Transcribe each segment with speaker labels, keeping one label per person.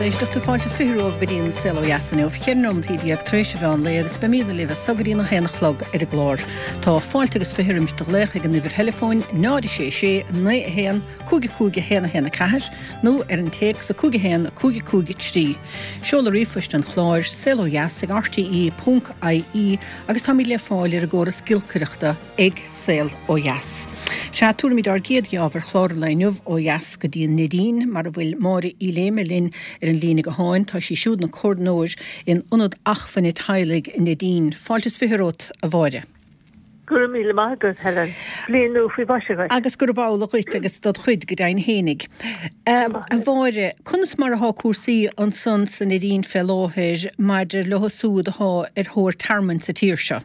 Speaker 1: Éisteachta, fáilte is 20 romhaibh go dtí an Saol Ó Dheas inniu, 14 nóimeataí tar éis an mheán lae agus beimídne libh as so go dtí an 1 a chlog ar an gclár. Tá fáilte agus 20 roimis do ghlaoch ag an uimhir theileafóin 0 6 6 9 1 5 5 1 1 4 nó ar an téacs 5 1 5 5 3. Seoladh ríomhphoist an chláir, saolodheas ag rte.ie agus táimid le fáil ar an gcóras giolcaireachta ag Saol Ó Dheas. Sea, tabharfaimid ár gcéad gheábh ar chlár an lae inniu ó dheas go dtí an Neidín, mar a bhfuil Máire Uí Léime linn ar an líne gutháin. Tá sí siúd ina comhordaitheoir in Ionad Acmhainne Teaghlaigh an Neidín. Fáilte is 20 romhat, a Mháire.
Speaker 2: Go raibh míle maith agat, Helen. Bliain nua faoi mhaise dhuit.
Speaker 1: Agus gurab amhlaidh dhuit agus dod chuid go deimhin fhéinig. A Mháire, conas mar athá cúrsaí ansan sa Neidín fé láthair maidir leo súd athá ar thóir tearmainn sa tír seo?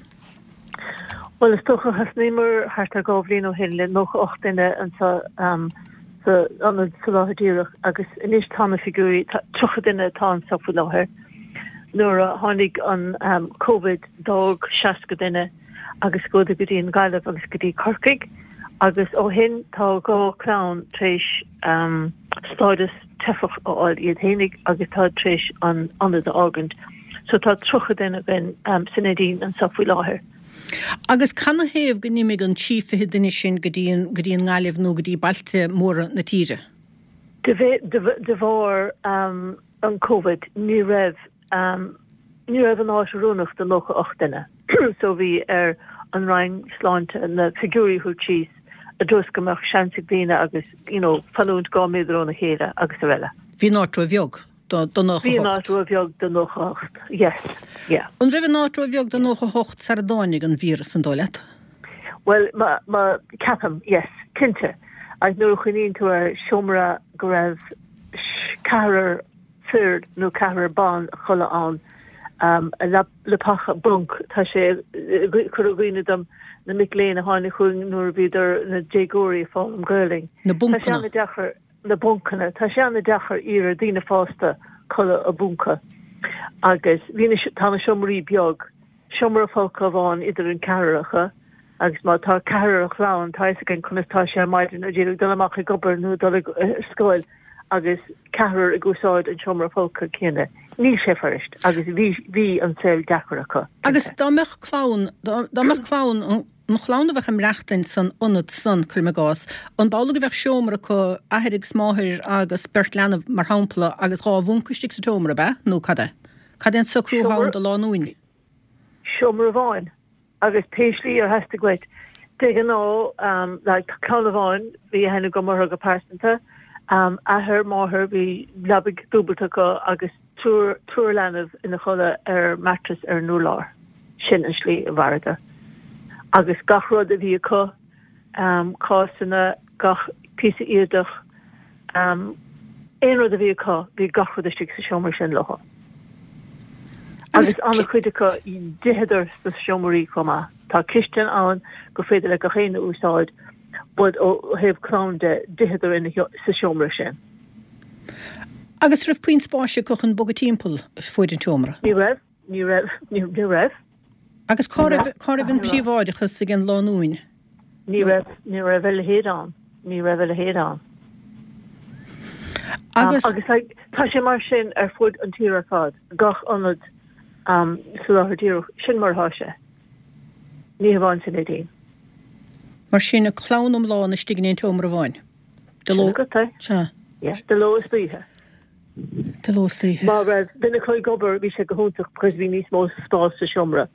Speaker 2: Bhuel, is dócha, thosnaíomar thart ar dhá bhliain ó shin le 98 duine anseo sa Ionad Soláthair Díreach agus anois tá na figiúirí, 30 duine atá anseo faoi láthair. Nuair a tháinig an Covid d'fhág 60 duine agus chuadar go dtí an Ghaillimh agus go dtí Corcaigh agus ó shin tá dhá chlann tar éis stádas teifeach a fháil iad fhéinig agus tá tar éis an ionad a fhágaint. So tá 30 duine againn sa Neidín anseo faoi láthair.
Speaker 1: Agus canathaobh go n-imigh an trí fichid duine sin go dtí an go dtí an nGaillimh nó go dtí bailte móra na tíre?
Speaker 2: De de bharr an Covid ní raibh ní raibh an áit oiriúnach do 98 duine so bhí ar an Roinn Sláinte na figiúirí a thabhairt síos i dtreo is go mbeadh seans ag daoine agus you know fanúint 2 méadar óna chéile agus araile.
Speaker 1: Bhí an áit ró-bheag do 98.
Speaker 2: Bhí an áit ró-bheag do 98, yes, yeah.
Speaker 1: An raibh an áit ró-bheag do 98 sara dtáinig an víreas, an dóigh leat?
Speaker 2: Bhuel, ma, ma, ceapaim, yes, cinnte. Agus nuair a chuimhníonn tú ar seomra go raibh ceathrar fir nó ceathrar ban a chodladh ann, um, leapacha, bunk, tá sé ag cur i gcuimhne dom na mic léinn a tháinig chugainn nuair a bhíodar ina déagóirí ag foghlaim Gaelainn.
Speaker 1: Na buncanna.
Speaker 2: Tá sé an-deacair. na buncanna. Tá sé an-deacair iarraidh ar daoine fásta codladh i bpunca agus bhí na, tá na seomraí beag, seomra folctha amháin idir an ceathrar acu agus má tá ceathrar i gclann tá fhios againn conas tá sé ar maidin ag iarraidh dul amach ag obair nó dul ag scoil agus ceathrar ag úsáid an seomra folctha céanna. Níl sé fuirist agus bhí, bhí an saol deacair acu.
Speaker 1: Agus dá mbeadh clann, dá mbeadh clann, an. An chlann a bheadh ag maireachtaint san ionad san, cuirim i gcás, an b'amhlaidh go bheadh seomra acu, athair agus máthair agus beirt leanbh, mar shampla, agus dhá bhunca istigh sa tseomra, ab ea? Nó cad é? Cad é an socrú atá ann do lánúin?
Speaker 2: Seomra amháin, agus pé slí ar theastaigh uait. De ghnáth, like, clann amháin, bhí aithne agam orthu go pearsanta, athair, máthair, bhí leabaidh dúbailte acu agus triúr, triúr leanbh ina chodladh ar mattress ar an urlár. Sin an slí a mhaireadar. Agus gach rud a bhí acu, cásanna, gach píosa éadach, aon rud a bhí acu, bhí gach rud istigh sa seomra sin leo. Agus an-chuid acu, d'itheadar sna seomraí chomh maith. Tá cistin ann gur féidir le gach éinne a úsáid, but ó thaobh clann de, d'itheadar sa seomra sin.
Speaker 1: Agus raibh puinn spáis acu chun bogadh timpeall fuaid an tseomra?
Speaker 2: Ní raibh. Ní raibh, ní raibh.
Speaker 1: Agus cá raibh, cá raibh an príobháideachas ag an lánúin?
Speaker 2: Ní raibh, ní raibh a leithéid ann. Ní raibh a leithéid ann. Agus. Agus like, tá sé mar sin ar fud an tír ar fad, gach ionad um, soláthair díreach, sin mar atá sé. Ní hamháin sa Neidín.
Speaker 1: Mar sin, clann iomlán istigh in aon tseomra amháin.
Speaker 2: De ló. Sin agat é.
Speaker 1: Sea.
Speaker 2: Yeah, de ló is d'oíche.
Speaker 1: De ló is d'oíche.
Speaker 2: Má raibh duine acu ag obair bhí sé go hiontach because bhí níos mó spás sa seomra.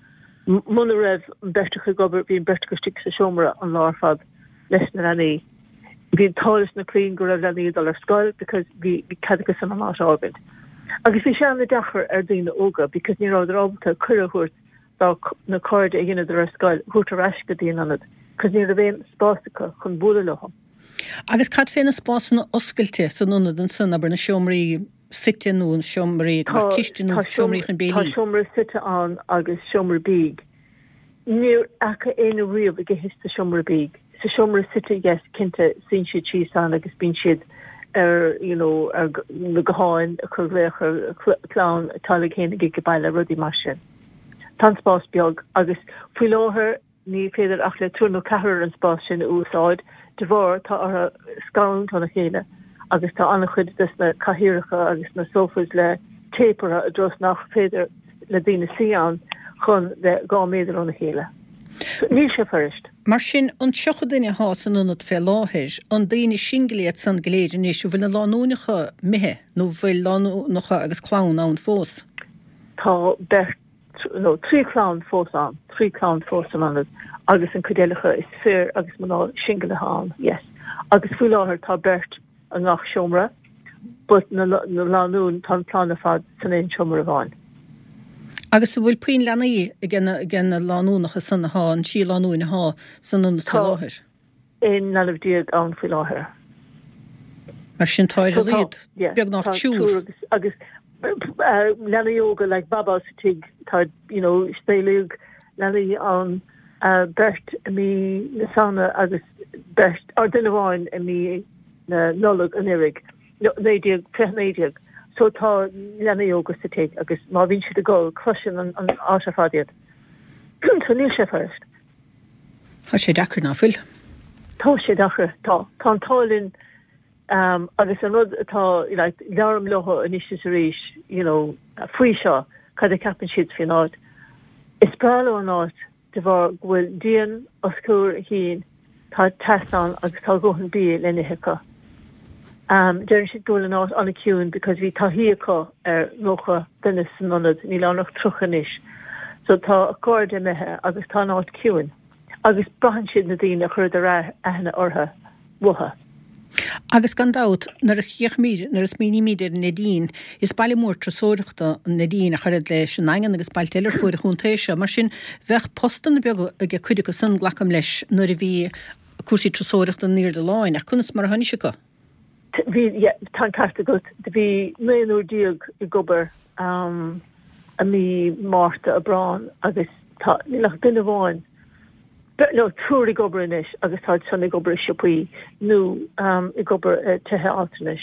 Speaker 2: Muna raibh an beirt acu ag obair bhí an beirt acu istigh sa seomra an lá ar fad leis na leanaí. Bhí an t-ádh leis na clainn go raibh leanaí ag dul ar scoil because bhí cead acu san an áit a fhágaint. Agus bhí sé an-deacair ar daoine óga because ní rabhadar ábalta cuireadh a thabhairt dá na cairde a dheineadar ar scoil thabhairt ar ais go dtí an ionad because ní raibh aon spás acu chun bualadh leo.
Speaker 1: Agus cad fé na spásanna oscailte san ionad ansan, abair na seomraí suite nó na seomraí mar cistin nó seomraí chun
Speaker 2: béilí? Tá seomra suite ann agus seomra bídh. Níor fhaca éinne riamh ag ithe sa seomra bídh. Sa seomra suite yes cinnte suíonn siad síos ann agus bíonn siad ar you know ar na gutháin ag cur glaoch ar clann teaghlaigh fhéinig ag baile rudaí mar sin. Tá an spás beag agus faoi láthair Ní féidir ach le triúr nó ceathrar an spás sin a úsáid de bharr tá orthu scarúint óna chéile. agus tá an-chuid des na cathaoireacha agus na sofas le tape orthu i dtreo is nach féidir le daoine suí ann chun bheith 2 méadar óna chéile. So níl sé fuirist.
Speaker 1: Mar sin, an 30 duine athá san ionad fé láthair, an daoine singil iad san go léir anois, an bhfuil na lánúineacha imithe nó an bhfuil lánúineacha agus clann ann fós?
Speaker 2: Tá beirt nó 3 chlann fós ann, 3 chlann fós san ionad agus an cuid eile acu is fir agus mná singil atá ann, yes. Agus faoi láthair tá beirt i ngach seomra but na lánúin, tá an clann ar fad san aon seomra amháin.
Speaker 1: Agus an bhfuil puinn leanaí ag na lánúnacha san athá, an 3 lánúin athá san ionad faoi láthair?
Speaker 2: Tá 11 leanbh ann faoi láthair.
Speaker 1: Mar sin tá ar a laghad beagnach triúr.
Speaker 2: Agus leanaí óga like baba sa tigh, tá you know saolaíodh leanaí ann beirt i mí na Samhna agus beirt, or duine amháin i mí na Nollag anuraidh, 19, 2019. So tá leanaí óga sa tigh agus má bhíonn siad ag gol cloiseann an áit ar fad iad. So níl sé fuirist.
Speaker 1: Tá sé deacair, ná fuil?
Speaker 2: Tá sé deacair, tá. Tá an t-ádh linn agus an rud atá, like, labhraím leo anois is arís, you know, faoi seo, cad a cheapann siad faoin áit. Is breá leo an áit de bharr go bhfuil díon os comhair a chinn, tá teas ann agus tá a dhóthain bia le n-ithe acu. Deireann siad go bhfuil an áit an-ciúin because bhí taithí acu ar 90 duine san ionad, níl ann ach 30 anois. So tá a cairde imithe agus tá an áit ciúin. Agus braitheann siad na daoine a chuireadar aithne orthu uathu.
Speaker 1: Agus gan dabht, nuair a fhéachaimid, nuair a smaoinímid ar an Neidín, is baile mór turasóireachta an Neidín ach oiread leis an nDaingean agus bailte eile ar fuaid an chontae seo. Mar sin, bheadh postanna beaga ag cuid acu san, glacaim leis, nuair a bhí cúrsaí turasóireachta in airde láin. Ach conas mar atá anois acu?
Speaker 2: Bhí, yeah, tá an ceart agat. Do bhí naonúr ag obair i mí Márta, Aibreán agus tá, níl ach duine amháin, no, triúr ag obair anois agus táid san ag obair i siopaí nó ag obair i tithe altranais.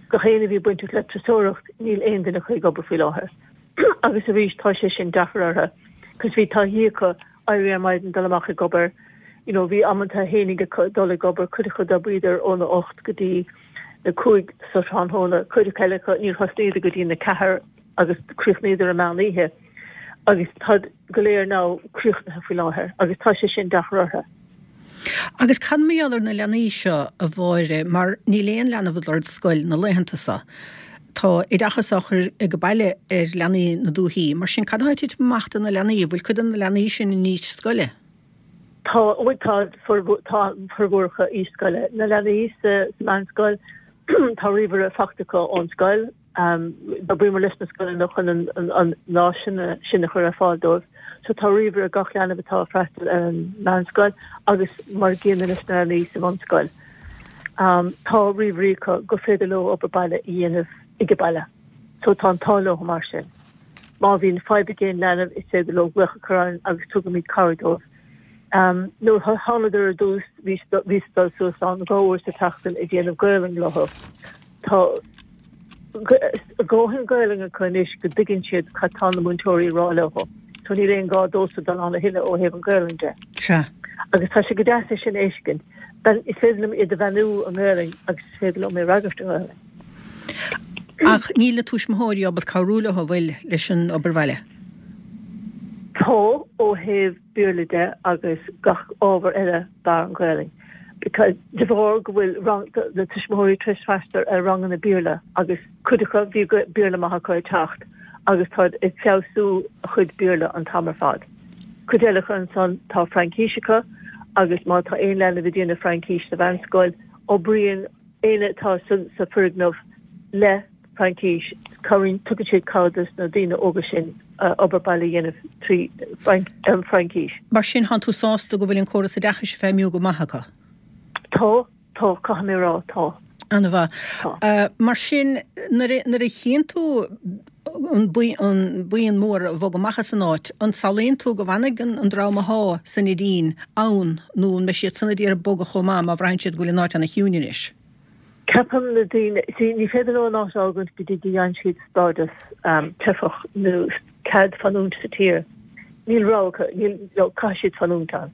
Speaker 2: Gach éinne a bhí bainteach le turasóireacht, níl aon duine acu ag obair faoi láthair. Agus arís tá sé sin deacair orthu cos bhí taithí acu éirí ar maidin dul amach ag obair you know bhí amanta fhéinig acu dul ag obair cuid acu d'oibríodar óna 8 go dtí na 5 sa tráthnóna cuid acu eile acu níor thosnaíodar go dtí na 4 agus chríochnaíodar i meán oíche agus táid go léir now críochnaithe faoi láthair agus tá sé sin deacair orthu.
Speaker 1: Agus cad mar gheall ar na leanaí seo, a Mháire, mar níl aon leanbh ag dul ar scoil na laethanta seo. Tá oideachas á chur ag baile ar leanaí na dúichí. Mar sin, cad atá ag titim amach do na leanaí? An bhfuil cuid de na leanaí sin in aois scoile?
Speaker 2: Tá, bhuel tá, tá formhór acu aois scoile. Na leanaí sa meánscoil, tá ríomhaire faighte acu ón scoil. D'oibríomar leis na scoileanna chun an áiseanna sin a chur ar fáil dóibh. So tá ríomhaire ag gach leanbh atá ag freastal ar an meánscoil agus mar an gcéanna leis na leanaí sa bhunscoil. Tá ríomhairí acu gur féidir leo obair baile a dhéanamh ag baile. So tá an t-ádh leo mar sin. Má bhíonn fadhb ag aon leanbh is féidir leo glaoch a chur orainn agus tugaimid cabhair dóibh. Nuair a thánadar ar dtús bhíos ag dul suas ann dhá uair sa tseachtain ag déanamh Gaolainn leo. Tá a dhóthain Gaolainn acu anois go dtuigeann siad cad tá na múinteoirí ag rá leo. So níl aon gá domhsa dul ann a thuilleadh ó thaobh an Ghaolainn de.
Speaker 1: Sea.
Speaker 2: Agus tá sé go deas é sin a fheiscint. Is féidir liom iad a bheannú i nGaolainn agus is féidir liom é a fhreagairt i nGaolainn.
Speaker 1: Ach níl na tuismitheoirí ábalta cabhrú leo, an bhfuil, leis an obair bhaile?
Speaker 2: Tá, ó thaobh Béarla de agus gach ábhar eile bar an Ghaolainn. Because de bharr go bhfuil rang, na tuismitheoirí tar éis freastal ar ranganna Béarla agus cuid acu bhí Béarla maith acu ag teacht agus táid ag feabhsú a chuid Béarla an t-am ar fad. Cuid eile acu ansan tá Fraincís acu agus má tá aon leanbh ag déanamh Fraincís sa mheánscoil oibríonn éinne atá sa foirgneamh le Fraincis, cabhraíonn, tugann siad cabhair dos na daoine óga sin obair baile a dhéanamh trí an Fraincis.
Speaker 1: Mar sin, thánn tú sásta go bhfuil an córas oideachais ag feidhmiú go maith acu?
Speaker 2: Tá, tá, caithfidh mé a rá, tá.
Speaker 1: An-mhaith. Tá. Mar sin, nuair a, nuair a chíonn tú an buíon mór a bhog amach as an áit, an samhlaíonn tú go bhfanfaidh an dream athá sa Neidín ann nó an mbeidh siad san ag iarraidh bogadh chomh maith má bhraitheann siad go bhfuil an áit ana-chiúin anois?
Speaker 2: Ceapaim na daoine, see, ní féidir leo an áit a fhágaint go dtí go bhfaigheann siad stádas teifeach nó cead fanúint sa tír. Níl rogha acu, níl, no, caithfidh siad fanúint ann.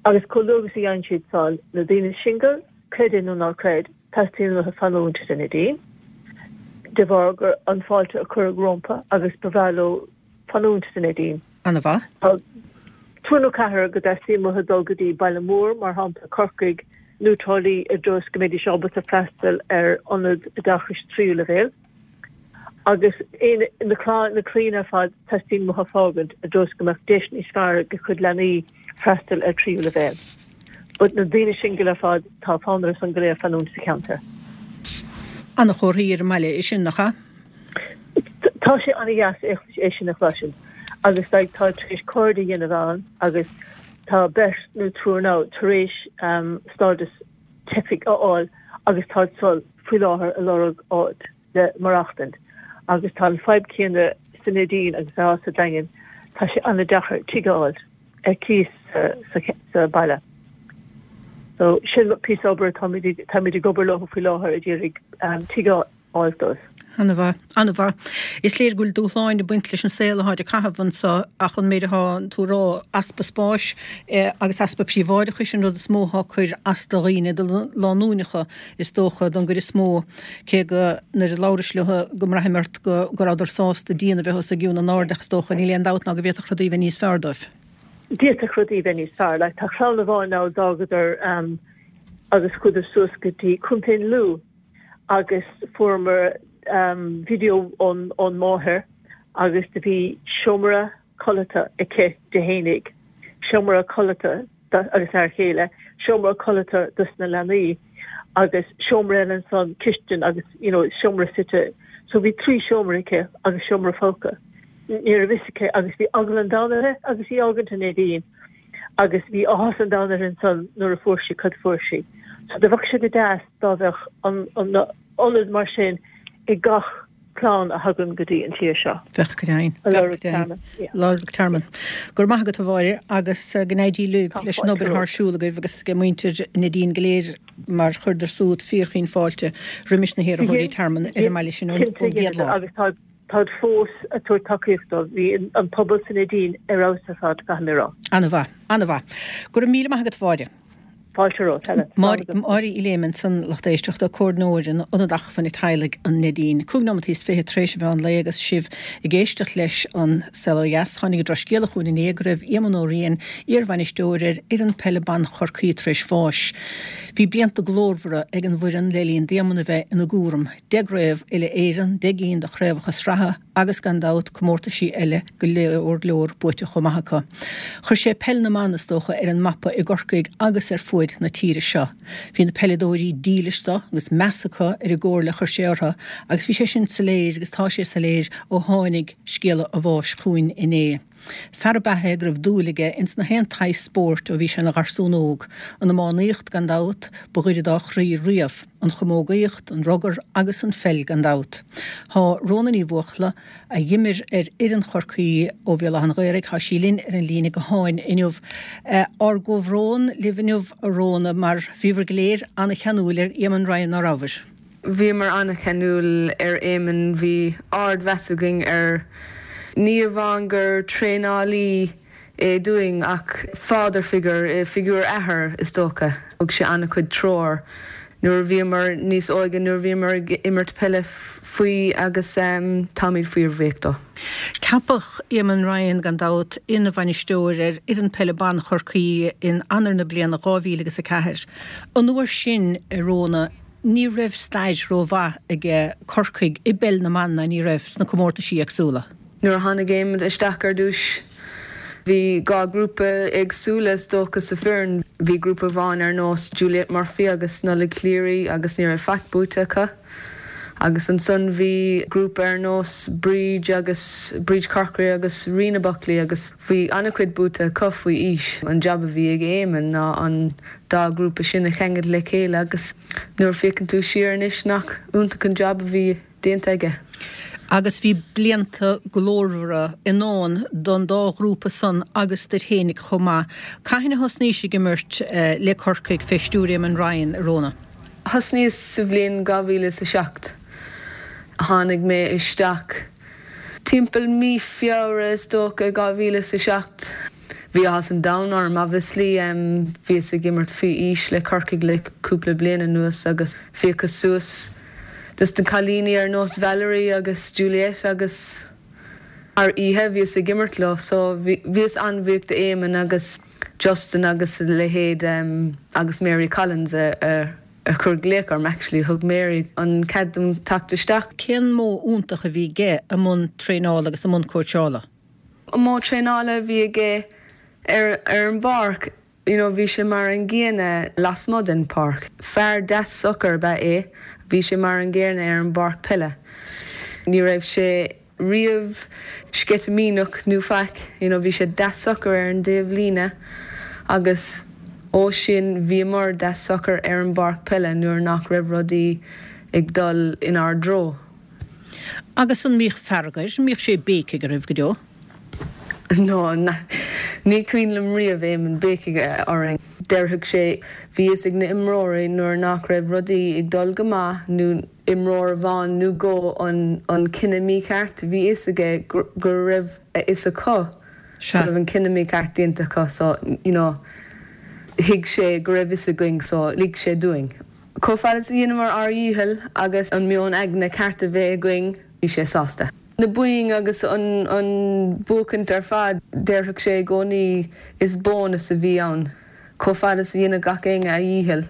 Speaker 2: Agus chomh luath agus a fhaigheann siad san, na daoine singil, creid é nó ná creid, Teastaíonn uathu fanúint sa Neidín de bharr gur an fáilte a cuireadh rompu agus ba bhreá leo fanúint sa Neidín.
Speaker 1: Ana-mhaith.
Speaker 2: Tá triúr nó ceathrar go dteastaíonn uathu dul go dtí baile mór, mar shampla Corcaigh nó Trá Lí i dtreo is go mbeidís ábalta freastal ar ionad oideachais tríú leibhéal. Agus na clainn ar fad, teastaíonn uathu fágaint i dtreo is go mbeadh deis níos fearr ag a gcuid leanaí freastal ar tríú leibhéal. But na daoine singil ar fad, tá fonn orthu san go léir fanúint sa cheantar.
Speaker 1: Ana-chomharthaí ar an mbaile é sin, nach ea?
Speaker 2: Tá sé ana-dheas é sin a chloisint agus like tá tar éis cairde a dhéanamh ann agus tá beirt nó triúr now tar éis stádas teifigh a fháil agus táid san faoi láthair ag lorg áit le maireachtaint agus tá an fadhb céanna sa Neidín agus atá sa Daingean, tá sé ana-deacair tigh a fháil ar cíos sa baile. So sin píosa obair atáimid táimid ag obair leo faoi láthair ag iarraidh tigh a fháil dóibh.
Speaker 1: Ana-mhaith. Ana-mhaith. Is léir go bhfuil dúshláin ag baint leis an saol atáid ag caitheamh anso ach an méid atá tú a rá, easpa spáis agus easpa príobháideachais an rud is mó atá ag cur as do dhaoine, do lánúineacha is dócha, don gcuid is mó, cé go nuair a labhrais leo go mbraithim ort go rabhadar sásta díon a bheith os a gcionn in airde ach is dócha, níl aon dabht ná go bhféadfadh rudaí a bheith níos fearr dóibh.
Speaker 2: D'fhéadfadh rudaí a bheith níos fearr. Like tá clann amháin ann d'fhágadar agus chuadar suas go dtí Contae an Lú. agus fuaireamar video ón máthair agus do bhí seomra codlata aici di fhéinig, seomra codlata agus a fear chéile, seomra codlata dos na leanaí agus seomra eile ansan, cistin agus you know seomra suite. So bhí trí seomra aici agus seomra folctha. Ní raibh fhios aici agus bhí eagla an domhain uirthi agus í fhágaint an Neidín agus bhí áthas an domhain uirthi ansan nuair a fuair sí cad fuair sí. So do bheadh sé go deas dá bheadh an ionad mar sin ag gach clann a thagann go dtí an tír seo.
Speaker 1: Bheadh go deimhin. Bheadh go deimhin. Lorg tearmann. Go raibh maith agat a Mháire agus go n-éirí libh leis an obair atá ar siúl agaibh agus ag muintir Neidín go léir mar chuireadar súd fíorchaoin fáilte roimis na hiarrthóirí tearmann ar an mbaile sin ón gcéad lá.
Speaker 2: Agus tá táid fós ag tabhairt tacaíocht dóibh. Bhí an pobal sa Neidín ar fheabhas ar fad, caithfidh mé a rá.
Speaker 1: Ana-mhaith. Ana-mhaith. Go raibh míle maith agat a Mháire.
Speaker 2: Fáilte romhat, Helen.
Speaker 1: Máire Uí Léime ansan, lucht éisteachta, Comhairleoir in Ionad Acmhainne Teaghlaigh an Neidín. 25 nóimeataí tar éis an mheán lae agus sibh ag éisteacht leis an Saol Ó Dheas. Tháinig an drochscéala chugainn inné go raibh Éamonn Ó Riain, iarbhainisteoir ar fhoireann peile ban Chorcaí tar éis bháis. Bhí blianta glórmhara ag an bhfoireann le linn d'Éamonn a bheith ina gcúram. 10 gcraobh uile-Éireann, 10 gcinn de chraobhacha sraithe, agus gan dabht comórtaisí eile go leor leor buaite chomh maith acu. Chuir sé peil na mban, is dócha, ar an mapa i gCorcaigh agus ar fuaid na tíre seo. Bhí na peileadóirí dílis do agus meas acu ar an gcomhairle a chuir sé orthu agus bhí sé sin soiléir agus tá sé soiléir ó tháinig scéala a bháis chugainn inné. Fear ab ea é go raibh dúil aige ins na haon tsaghas spóirt ó bhí sé ina gharsún óg. An iománaíocht, gan dabht, ba ghaire dá chroí riamh, an chamógaíocht, an rugar agus an pheil gan dabht. Tá Rhona Ní Bhuachalla, a dh'imir ar fhoireann Chorcaí ó Bhéal Átha an Ghaorthaidh, tá sí linn ar an líne gutháin inniu. Ár gcomhbhrón libh inniu, a Rhona, mar bhíobhair go léir ana-cheanúil ar Éamonn Ryan, ná rabhabhair?
Speaker 3: Bhíomar an-cheanúil ar Éamonn, bhí ard-mheas againn air. Ní amháin gur traenálaí é dúinn ach father figure, figiúr athar is dócha. Thug sé an-chuid treoir nuair a bhíomar níos óige, nuair a bhíomar ag imirt peile faoi agus táimid fíorbhuíoch dó.
Speaker 1: Ceapadh Éamonn Ryan, gan dabht, ina bhainisteoir ar fhoireann peile ban Chorcaí in Eanáir na bliana 2004. An uair sin, a Rhona, Ní raibh stair ró-mhaith ag Corcaigh i bpeil na mban ná ní raibh sna comórtaisí éagsúla.
Speaker 3: Nuair a tháinig Éamonn isteach ar dtúis bhí dhá ghrúpa éagsúla is dócha sa foireann. Bhí grúpa amháin ar nós Juliette Murphy agus Nollaig Cleary agus ní raibh faic buaite acu. Agus ansan bhí grúpa ar nós Bríd agus Bríd Corkery agus Ríona Buckley agus bhí an-chuid buaite acu faoi aois. An jab a bhí ag Éamonn ná an dá ghrúpa sin a cheangal le chéile agus nuair a féachann tú siar anois nach iontach an jab a bhí déanta aige.
Speaker 1: Agus bhí blianta glórmhara i ndán don dá ghrúpa san agus duit fhéinig chomh maith. Cathain a thosnaís ag imirt le Corcaigh fé stiúir Éamonn Ryan, a Rhona?
Speaker 3: Thosnaíos sa bhliain 2007. Tháinig mé isteach timpeall mí Feabhra is dócha 2007. Bhí áthas an domhain orm obviously. Bhíos ag imirt faoi aois le Corcaigh le cúpla bliain anuas agus phiocas suas dos na cailíní ar nós Valerie agus Juliette agus thar oíche bhíos ag imirt leo so bhíos an-bhuíoch d'Éamonn agus Justin agus a leithéid agus Mary Collins a chuir glaoch orm actually thug Mary an cead dom teacht isteach.
Speaker 1: Cén modh iontach a bhí aige i mbun traenála agus i mbun cóitseála?
Speaker 3: An modh traenála a bhí aige ar an bpáirc, you know bhí sé mar an gcéanna lasmuigh den pháirc. Fear deas socair ab ea é, bhí sé mar an gcéanna ar an bpáirc peile. Ní raibh sé riamh sceitimíneach nó faic, you know bhí sé deas socair ar an dtaobh líne agus ó sin bhíomar deas socair ar an bpáirc peile nuair nach raibh rudaí ag dul inár dtreo.
Speaker 1: Agus an mbíodh fearg air? An mbíodh sé ag béicigh oraibh go deo?
Speaker 3: No, ní cuimhin liom riamh Éamonn béicigh orainn. Déarfadh sé, bhí fhios ag na imreoirí nuair nach raibh rudaí ag dul go maith nó imreoir amháin nó dhó an cinneadh mícheart, bhí fhios aige go raibh a fhios acu go raibh an cinneadh mícheart déanta acu so, you know, thuig sé go raibh fhios againn so lig sé dúinn. Chomh fada is a dheineamar ár dhícheall agus an meon aigne ceart a bheith againn, bhí sé sásta. Na boinn agus an buachaint ar fad, déarfadh sé i gcónaí, is bónas a bhí ann. Chomh fada is a dheineadh gach éinne a dhícheall,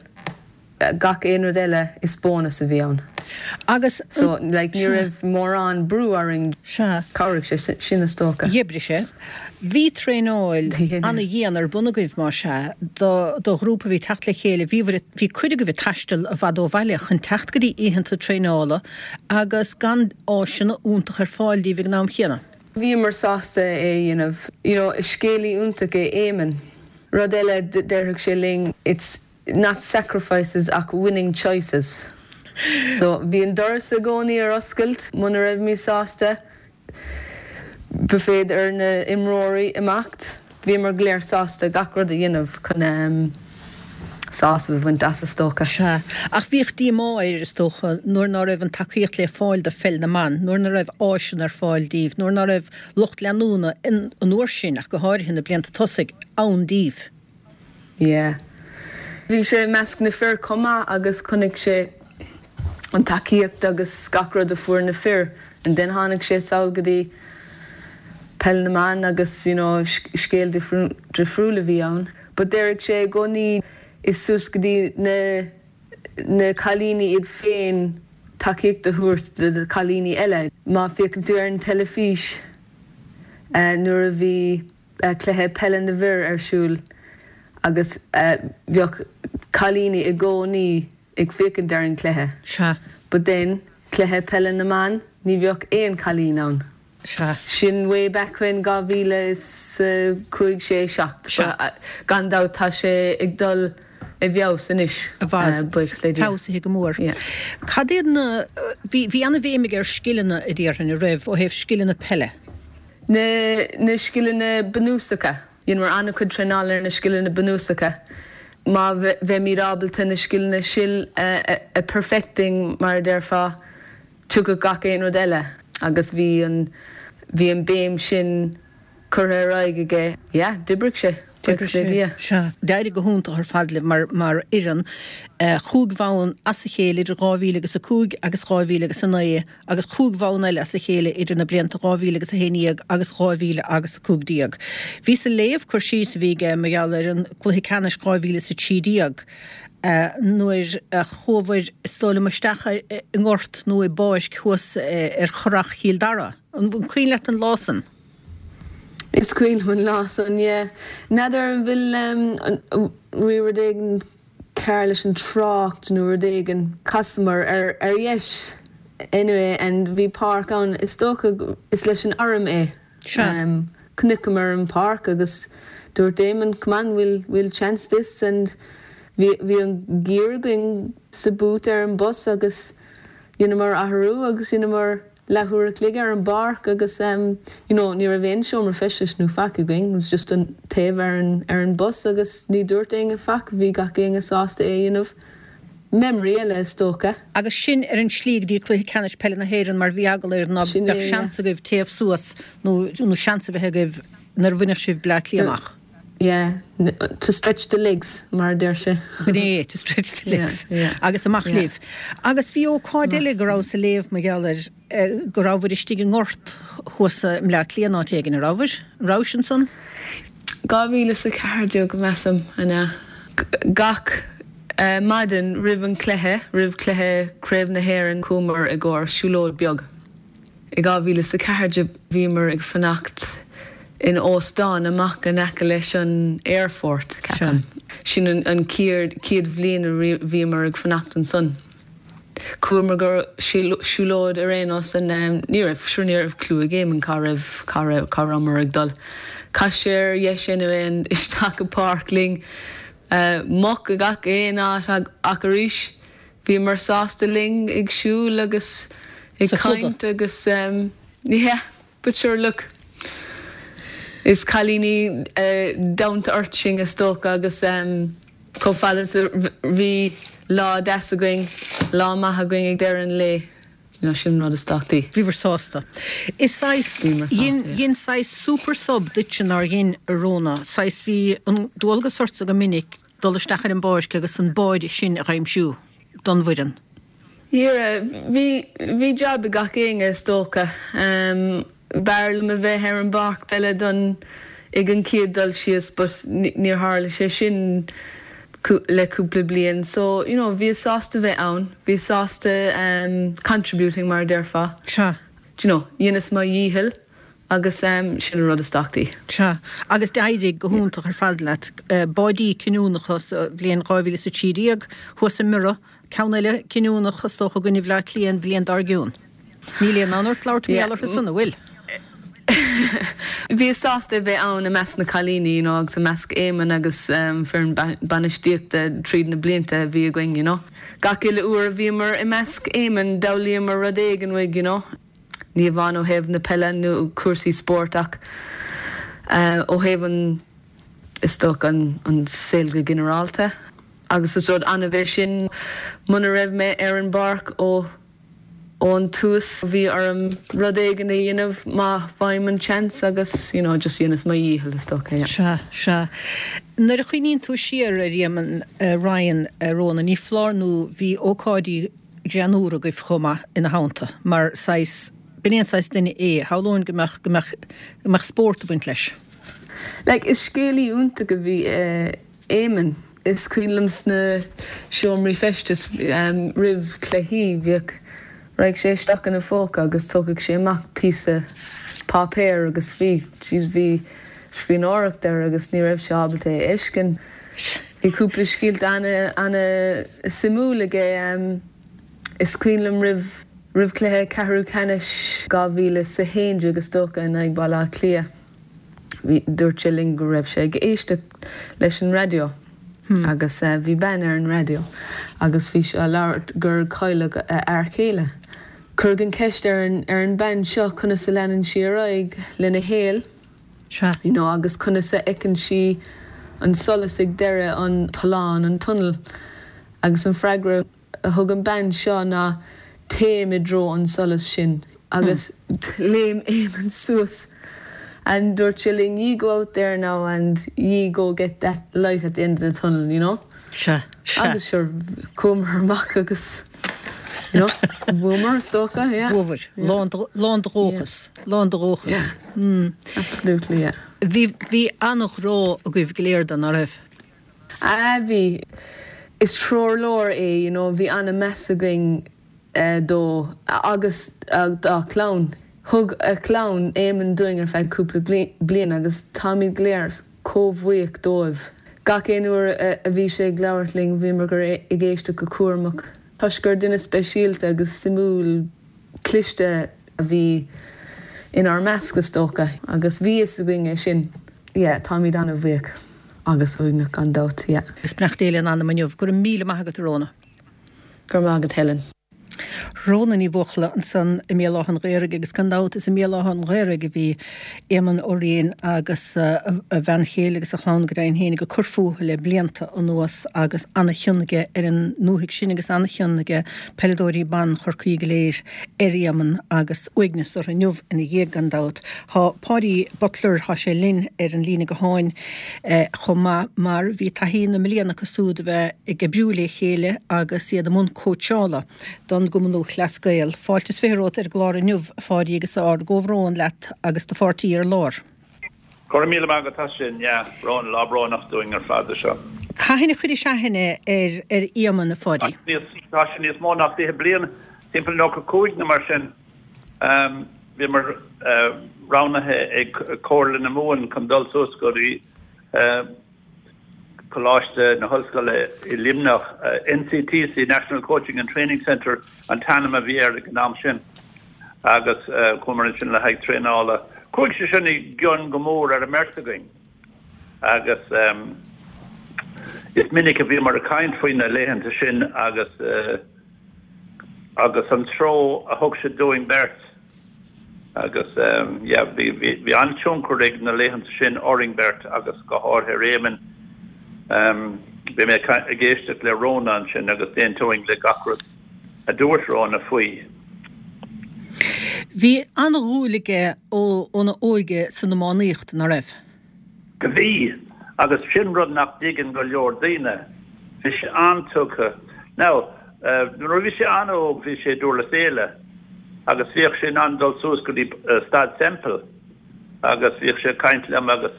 Speaker 3: gach aon rud eile, is bónas a bhí ann.
Speaker 1: Agus.
Speaker 3: So, like, ní raibh mórán brú orainn.
Speaker 1: Sea.
Speaker 3: Chabhraigh sé sin, is dócha.
Speaker 1: D'oibrigh sé. Bhí traenáil ana-dhian ar bun agaibh, más ea, do do ghrúpa a bhí ag teacht le chéile. Bhí bhí cuid agaibh ag taisteal i bhfad ó bhaile chun teacht go dtí oícheanta traenála agus gan áiseanna iontach ar fáil díbh ag an am chéanna.
Speaker 3: Bhíomar sásta é a dhéanamh. You know, is scéalaí iontach é Éamonn. Rud eile, déarfadh sé linn, it's not sacrifices ach winning choices. So, bhí an doras i gcónaí ar oscailt muna raibhimid sásta. Ba féidir ar na imreoirí imeacht. Bhíomar go léir sásta gach rud a dhéanamh chun sásamh a bhaint as, is dócha.
Speaker 1: Sea. Ach bhíodh díomá air, is dócha, nuair ná raibh an tacaíocht le fáil do pheil na mban, nuair ná raibh áiseanna ar fáil díbh, nuair ná raibh lucht leanúna, an uair sin ach go háirithe, na blianta tosaigh, ann díbh.
Speaker 3: Yeah. Bhí sé i measc na fir chomh maith agus chonaic sé an tacaíocht agus gach rud a fuair na fir and then tháinig sé sall go dtí peil na mban agus you know scéal difriúil a bhí ann. But déarfadh sé i gcónaí is suas go dtí na na cailíní iad féin tacaíocht a thabhairt do na cailíní eile. Má féachann tú ar an teilifís nuair a bhí cluiche peile na bhfir ar siúl agus bheadh cailíní i gcónaí ag féachaint ar an gcluiche.
Speaker 1: Sea.
Speaker 3: But then, cluiche peile na mban, ní bheadh aon chailín ann.
Speaker 1: Sea.
Speaker 3: Sin way back when, 2005, 6, 7.
Speaker 1: Sea.
Speaker 3: Gan dabht tá sé ag dul i bhfeabhas anois,
Speaker 1: I bhfad.
Speaker 3: buíochas le Dia.
Speaker 1: Feabhsaithe go mór.
Speaker 3: Yeah.
Speaker 1: Cad iad na, bhí, bhí an-bhéim aige ar scileanna a déarfainn, an raibh, ó thaobh scileanna peile?
Speaker 3: Na scileanna bunúsacha. Dheineamar an-chuid traenála ar na scileanna bunúsacha. Má bheimid ábalta na scileanna sin a perfecting, mar a déarfá, tiocfaidh gach aon rud eile agus bhí an bhí an béim sin curtha ar aghaidh aige. Yeah, d'oibrigh sé.
Speaker 1: D'oibrigh sé, sea. D'éirigh go hiontach ar fad libh mar mar fhoireann. Chúig bhonn as a chéile idir 2000 agus 5 agus 2000 agus 9. agus chúig bhonn eile as a chéile idir na blianta 2000 agus 11 agus 2000 agus 15. Bhíos ag léamh cur síos a bhí aige mar gheall ar an gcluiche ceannais 2013 nuair a chuabhair is dóigh liom isteach i ngort nó i bpáirc thuas ar Churrach Chill Dara. An cuimhin leat an lá san?
Speaker 3: Is cuimhin liom an lá san, yeah. N'fheadar an bhfuil, bhí rud éigin cearr leis an trácht nó rud éigin. Chasamar ar ar dheis anyway and bhí páirc ann, is dócha is leis an arm é.
Speaker 1: Sea.
Speaker 3: Chonaiceamar an páirc agus dúirt Éamonn come on we'll we'll chance this and bhí bhí an gear againn sa boot ar an bus agus dheineamar athrú agus dheineamar leathuair a chloig ar an bpáirc agus you know ní raibh aon seomra feistis nó faic againn, it was just an taobh ar an ar an bus agus ní dúirt éinne faic, bhí gach éinne sásta é a dhéanamh. Memory eile is dócha.
Speaker 1: Agus sin ar an slí go dtí Cluiche Ceannais Peile na hÉireann mar bhí eagla air ná
Speaker 3: Sin
Speaker 1: beadh
Speaker 3: é, yeah.
Speaker 1: seans agaibh téamh suas nó nó seans a bheith agaibh nuair a bhainfeadh sibh Bleá Cliath amach.
Speaker 3: Yeah, to stretch the legs, mar a deir sé.
Speaker 1: B'in é, to stretch the legs. Agus amach libh. Agus bhí ócáid eile go rabhas ag léamh mar gheall air, go rabhabhair istigh i ngort thuas i mBleá Cliath in áit éigin, an rabhabhair? An rabhais ansan?
Speaker 3: 2014, measaim, an ea? Gach maidin roimh an cluiche, roimh cluiche Craobh na hÉireann, chuamar i gcomhair siúlóid beag. I 2014 bhíomar ag fanacht in óstán amach in aice leis an aerfort, ceapaim. Sin an chéad bhliain a bhíomar ag fanacht ansan. Chuamar go siúlóid ar aon nós and ní raibh, sure ní raibh clue ag Éamonn cá raibh, cá raibh, cá rabhamar ag dul. Chas sé ar dheis anyway and isteach i bpáirc linn. Muc i gach aon áit ach arís Bhíomar sásta linn ag siúl agus ag caint agus yeah but sure look is cailíní down to earth sinn is dócha agus chomh fada is a bhí lá deas againn, lá maith againn ag deireadh an lae, you know sin an rud is tábhachtaí.
Speaker 1: Bhíobhair sásta. Is saghas, dhein saghas super sub duitse nár dhein a Rhona, saghas bhí an dualgas ortsa go minic dul isteach ar an bpáirc agus an báide sin a dh'aimsiú don bhfoireann.
Speaker 3: Yeah, bhí, bhí jab ag gach éinne is dócha. B'fhearr liom a bheith ar an bpáirc peile don, ag an chéad dul síos but níor tharla sé sin le cúpla bliain so, you know, bhíos sásta bheith ann, bhíos sásta contributing mar a déarfá.
Speaker 1: Sea.
Speaker 3: Do you know, dheineas mo dhícheall. Agus sin an rud is tábhachtaí.
Speaker 1: Sea, agus d'éirigh go hiontach ar fad leat. Báidí cinniúnacha sa bhliain 2013 thuas i mBiorra, ceann eile cinniúnach is dócha i gcoinne Bhaile Átha Cliath an bhliain dár gcionn. Níl aon fhonn ort labhairt mar gheall orthu san, an bhfuil?
Speaker 3: Bhíos sásta a bheith ann i measc na cailíní, you know, agus i measc Éamonn agus foireann bainistíochta tríd na blianta a bhí againn, you know. Gach uile uair a bhíomar i measc Éamonn d'fhoghlaíomar rud éigin uaidh, you know. Ní amháin ó thaobh na peile nó cúrsaí spóirt ach ó thaobh an, is dócha, an saol go ginearálta. Agus is rud annamh é sin. Muna raibh mé ar an bpáirc ó ón tús bhí orm rud éigin a dhéanamh má fhaighim an seans agus you know just dheineas mo dhícheall is dócha, yeah.
Speaker 1: Sea, sea. Nuair a chuimhníonn tú siar ar Éamonn Ryan, a Rhona, ní foláir nó bhí ócáidí greannmhara agaibh chomh maith ina theannta, mar saghas, b'in é an saghas duine é, shamhlóinn go mbeadh, go mbeadh, go mbeadh spórt ag baint leis.
Speaker 3: Like, is scéalaí iontach a bhí i Éamonn. Is cuimhin liom sna seomraí feistis roimh chluichí, bhíodh, raghadh sé isteach ina phóca agus tógfadh sé amach píosa páipéir agus bhí, jeez, bhí scríbhneoireacht air agus ní raibh sé ábalta é a fheiscint. Bhí cúpla scéalta ana-suimiúil aige. Is cuimhin liom roimh roimh chluiche ceathrú ceannais 2011 is dócha in aghaidh Baile Átha Cliath, bhí, dúirt sé linn go raibh sé ag éisteacht leis an raidió agus bhí bean ar an raidió agus bhí sí á labhairt gur cailleadh a fhear céile. Cuireadh an cheist ar an ar an bean seo conas a leanann sí ar aghaidh lena shaol.
Speaker 1: Sea.
Speaker 3: You know, agus conas a fheiceann sí an solas ag deireadh an tolláin, an tunnel. Agus an freagra a thug an bean seo ná téim i dtreo an solais sin. Agus léim Éamonn suas and dúirt sé linn ye go out there now and ye go get that light at the end of the tunnel, you know.
Speaker 1: Sea, sea.
Speaker 3: Agus sure, chuamar amach agus, you know, bhuamar is dócha, yeah.
Speaker 1: Bhuabhair. Lán de, lán de dhóchas. Lán de dhóchas.
Speaker 3: Yeah. Mm. Absolutely, yeah.
Speaker 1: Bhí, bhí an-ghrá agaibh go léir dó, ná raibh?
Speaker 3: Ah, bhí. Is treoirleabhar é, you know, bhí an-meas againn dó agus dá chlann. Thug a chlann Éamonn dúinn ar feadh cúpla bliain agus táimid go léir chomh bhuíoch dóibh. Gach aon uair a bhí sé ag labhairt linn bhíomar ag éisteacht go cúramach toisc gur duine speisialta agus suimiúil cliste a bhí inár measc is dócha agus bhí fhios againn é sin. Yeah, táimid an-bhuíoch agus uaigneach gan dabht, yeah.
Speaker 1: Agus beannacht Dé lena anam inniu. Go raibh míle maith agat a Rhona.
Speaker 3: Go raibh maith agat Helen.
Speaker 1: Rhóna Ní Bhuachalla ansan i mBéal Átha an Ghaorthaidh agus gan dabht is i mBéal Átha an Ghaorthaidh a bhí Éamonn Ó Riain agus a bhean chéile agus a chlann go deimhin féin ag cur fúthu le blianta anuas agus ana-chion aige ar an ndúthaigh sin agus ana-chion aige peileadóirí ban Chorcaí go léir ar Éamonn agus uaigneas orthu inniu ina dhiaidh gan dabht. Tá Páidí Butler, tá sé linn ar an líne gutháin chomh maith mar bhí taithí na mblian acu súd a bheith ag oibriú le chéile agus iad i mbun cóitseála don gCumann Lúthchleas Gael. Fáilte is 20 romhat ar an gclár inniu, a Pháidí, agus ár gcomhbhrón leat agus do pháirtí ar lár.
Speaker 4: Go raibh míle maith agat as sin, yeah, brón, lá brónach dúinn ar fad é seo.
Speaker 1: Cathain a chuiris aithne ar ar Éamonn, a Pháidí?
Speaker 4: Tá sé níos mó ná 20 bliain, timpeall 95 nó mar sin. Bhíomar roghnaithe ag Comhairle na Mumhan chun dul suas go dtí Coláiste na hOllscoile i Luimneach, NCTC, National Coaching and Training Centre an t-ainm a bhí air ag an am sin, agus chuamar ansin le haghaidh traenála. Chuaigh sé sin i gcion go mór ar an mbeirt againn agus is minic a bhíomar ag caint faoi na laethanta sin agus agus an treo a thug siad dúinn beirt. Agus yeah, bhí, bhí, bhí an-tionchar ag na laethanta sin orainn beirt agus go háirithe ar Éamonn. Bhí mé ag éisteacht le Rhona ansin agus d'aontóinn le gach rud a dúirt Rhona faoi.
Speaker 1: Bhí an-dhúil aige óna óige san iománaíocht, ná raibh?
Speaker 4: Bhí, agus sin rud nach dtuigeann go leor daoine. Bhí sé an-tugtha. Now, nuair a bhí sé an-óg bhí sé i nDurlas Éile agus bhíodh sé in ann dul suas go dtí Staid Semple agus bhíodh sé ag caint liom agus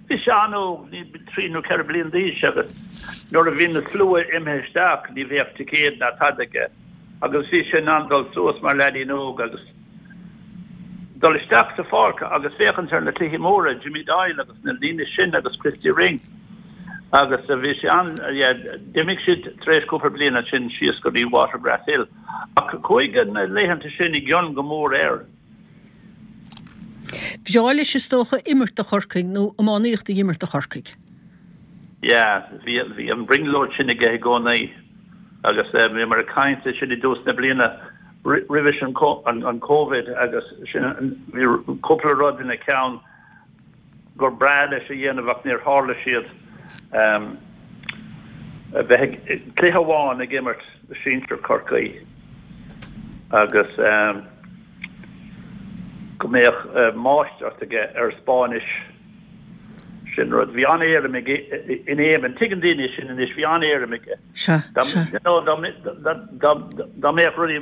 Speaker 4: bhí sé an-óg, trí nó ceithre bliain d'aois agus nuair a bhí na slua imithe isteach ní bheadh ticéad ná tada aige agus bhí sé in ann dul suas mar leaidín óg agus dul isteach sa pháirc agus féachaint ar na cluichí móra, Jimmy Doyle agus na daoine sin agus Christy Ring agus bhí sé an, yeah, d'imigh siad tar éis cúpla bliain ansin síos go dtí Watergrass Hill ach chuaigh na laethanta sin i gcion go mór air.
Speaker 1: Bhreá leis is dócha imirt do Chorcaigh nó iománaíocht a imirt do Chorcaigh.
Speaker 4: Yeah, bhí, bhí an bhrionglóid sin aige i gcónaí agus bhíomar ag caint ansin i dtús na bliana roimhe sin an Covid agus sin, bhí cúpla rud ina cheann gur breá leis a dhéanamh ach níor tharla siad. A bheith ag, cluiche amháin ag imirt do sinsir Chorcaí agus go mbeadh máistreacht aige ar Spáinnis. Sin rud. Bhí an-éirim aige in Éamonn. Tuigeann daoine sin anois. Bhí an-éirim aige.
Speaker 1: Sea, sea.
Speaker 4: Dá mbeadh rudaí,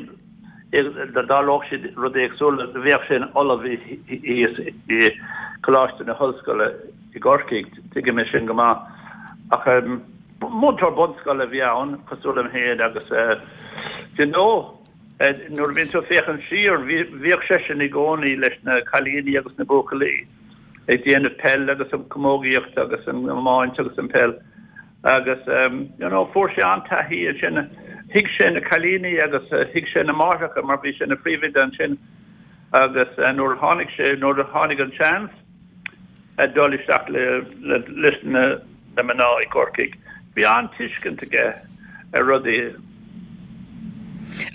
Speaker 4: dá dtarlódh siad rud éagsúil, bheadh sé ina ollamh thíos i Coláiste na hOllscoile i gCorcaigh. Tuigim é sin go maith. Ach múinteoir bunscoile a bhí ann, cosúil liom féin, agus you know, nuair a bhíonn tú ag féachaint siar, bhíodh seisean i gcónaí leis na cailíní agus na buachaillí. ag déanamh peil agus an camógaíocht agus an iomáint agus an peil agus you know fuair sé an-taithí ansin. Thuig sé na cailíní agus thuig sé na máithreacha mar bhí sé ina phríomhoide ansin agus nuair a tháinig sé, nuair a tháinig an seans dul isteach le leis na mná i gCorcaigh, bhí an-tuiscint aige ar rudaí.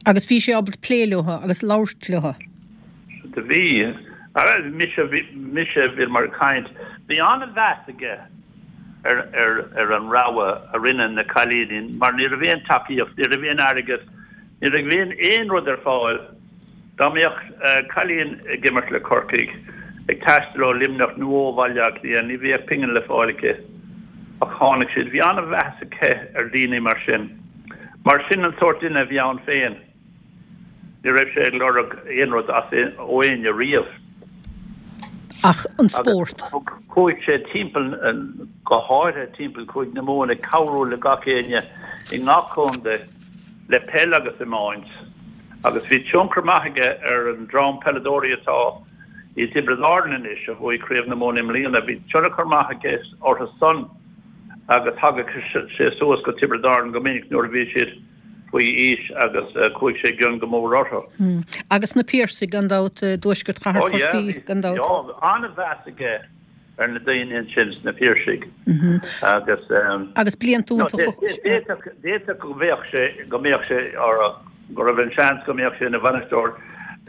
Speaker 1: Agus bhí sé ábalta plé leo agus labhairt leo.
Speaker 4: Do bhí. Mise, mise, bhíomar ag caint. Bhí an-mheas aige ar, ar, ar an rogha a rinne na cailíní mar ní raibh aon tacaíocht, ní raibh aon airgead, ní raibh aon, aon rud ar fáil. Dá mbeadh cailín ag imirt le Corcaigh, ag taisteal ó Luimneach nó ó Bhaile Átha Cliath, ní bheadh pingin le fáil aici. Ach tháinig siad. Bhí an-mheas aige ar daoine mar sin. Mar sin an sórt duine a bhí ann féin. Ní raibh sé ag lorg aon rud as ó éinne riamh.
Speaker 1: Ach an spórt.
Speaker 4: Agus chuaigh sé timpeall, go háirithe timpeall Chúige na Mumhan, ag cabhrú le gach éinne i ngach contae le peil agus iomáint. Agus bhí tionchar maith aige ar an dream peileadóirí atá i dTiobraid Árann anois, a bhuaigh Craobh na Mumhan i mbliana. Bhí tionchar maith aige orthu san agus thagadh sé suas go Tiobraid Árann go minic nuair a bhí siad faoi aois agus chuaigh sé i gcion go mór orthu.
Speaker 1: Agus na Piarsaigh, gan dabht, i dtuaisceart chathair Chorcaí, gan dabht.
Speaker 4: Ó yeah, an-mheas aige ar na daoine ansin sna Piarsaigh agus.
Speaker 1: Agus blianta
Speaker 4: iontacha. D'fhéadfadh go mbeadh sé, go mbeadh sé ar. go raibh an seans go mbeadh sé ina bhainisteoir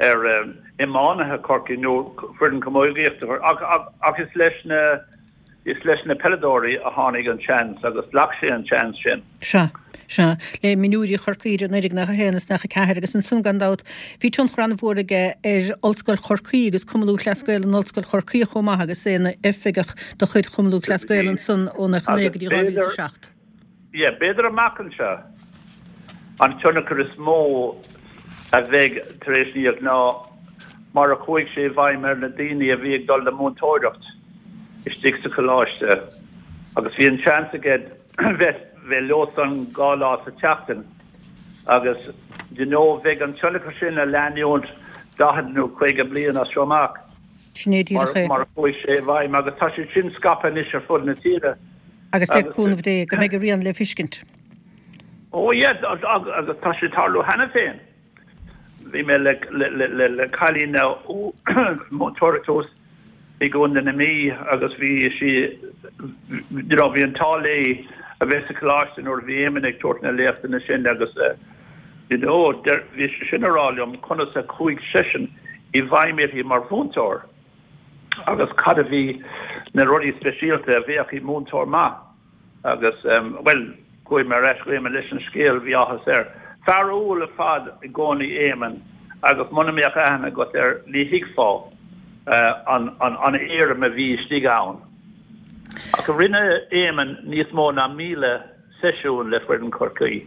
Speaker 4: ar iománaithe Chorcaí nó foireann camógaíochta ach is leis na Is leis na peileadóirí a tháinig an seans agus ghlac sé an seans sin.
Speaker 1: Sea. Sea. Le mionúirí Chorcaí idir 1991 is 94 agus ansan gan dabht bhí tionchar an-mhór aige ar Ollscoil Chorcaí agus Cumann Lúthchleas Gael in Ollscoil Chorcaí chomh maith agus é ina oifigeach de chuid Chumann Lúthchleas Gael ansan ó 99 go dtí 2007.
Speaker 4: Yeah, b'fhéidir amach anseo an tionchar is mó a bheidh tar éis a ná mar a chuaigh sé i bhfeidhm ar na daoine a bhí ag dul le múinteoireacht istigh sa choláiste agus bhí an seans aige bheith bheith leosan 2 lá sa tseachtain agus you know bheidh an tionchar sin a leanúint 40 nó 50 bliain as seo amach.
Speaker 1: Sin é díreach é.
Speaker 4: Mar a chuaigh sé i bhfeidhm agus tá sé sin scaipthe anois ar fud na tíre.
Speaker 1: Agus le cúnamh Dé go mbeidh a rian le feiscint.
Speaker 4: Oh yeah, agus tá sé ag tarlú cheana féin. Bhí mé le cailín múinteoir thuas i gContae na Mí agus bhí sí, you know, bhí an t-ádh léi a bheith sa choláiste nuair a bhí Éamonn ag tabhairt na léachtanna sin agus you know, bhí sí sin ag rá liom conas a chuaigh seisean i bhfeidhm uirthi mar mhúinteoir agus cad a bhí na rudaí speisialta a bheadh i múinteoir maith. Agus, bhuel, chuaigh mé ar ais go Éamonn leis an scéal, bhí áthas air. Fear umhal ar fad i gcónaí Éamonn agus muna mbeadh aithne agat air ní thuigfeá an an éirim a bhí istigh ann. Ach rinne Éamonn níos mó ná 1,000 seisiún le foireann Chorcaí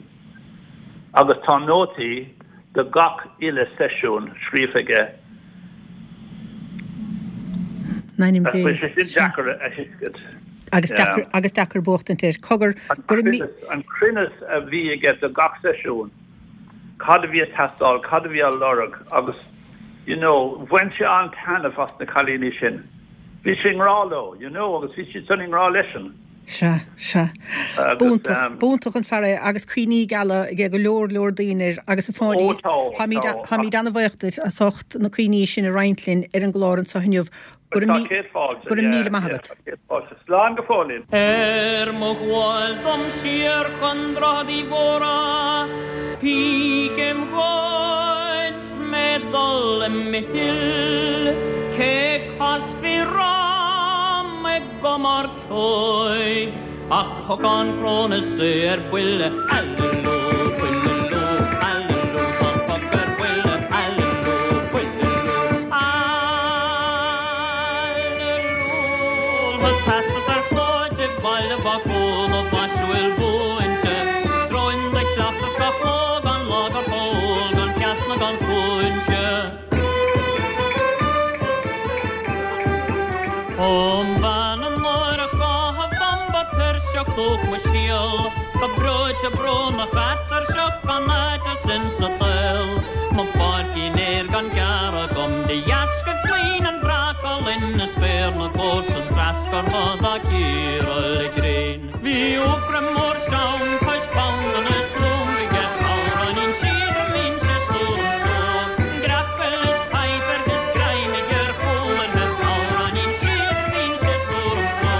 Speaker 4: agus tá nótaí de gach uile seisiún scríofa aige.
Speaker 1: In ainm Dé.
Speaker 4: Bhí sé sin deacair a thuiscint.
Speaker 1: Agus deacair, agus deacair buachtaint air. Cogar,
Speaker 4: go raibh mí. An cruinneas a bhí aige do gach seisiún, cad a bhí ag teastáil, cad a bhí á lorg agus you know, bhain sé an-taitneamh as na cailíní sin. Bhí sé i ngrá leo, you know, agus bhí siad san i ngrá leisean.
Speaker 1: Sea, sea. B'iontach, b'iontach an fear é agus cuimhní geala ag go leor, leor daoine air agus a Pháidí, táimid, táimid an-bhuíoch duit as ucht na cuimhní sin a roinnt linn ar an gclár anseo inniu. Go raibh míle maith agat.
Speaker 4: Slán go fóill.
Speaker 5: Ar mo ghabháil dom siar chun Droichead Uí Mhórdha, píc im ghoid 's mé dul i mhill, cé casfaí romham ag cumar Toigh, ach pocán crón is é ar buile, Aililiú, buililiú, aililiú, tá an poc ar buile, aililiú, buililiú, aililiú. Tá teastas ar chlóid i Baile Bhacúil ó mhaisiúil mhúinte, Dróin de chleachtas gach ló gan lá gur chól, gan ceas ná gan cúinse. Ó bhean an náire chátha bhamba tuirseach dúch mo scéal, Go breoite brónach atuirseach gan áit as insa tsaol, Mo pháircín fhéir gan gearradh agam de dheasca maoin an bhreac álainn Is féar na gcomharsan treascartha dá cíoradh le gréin. Bhí Eofraim mór seann cois abhann is lúm aige amhráinín síoda mín sé súram só Greapail is paidhpear is greim aige ar chúl uirthi amhráinín síoda mín sé súram só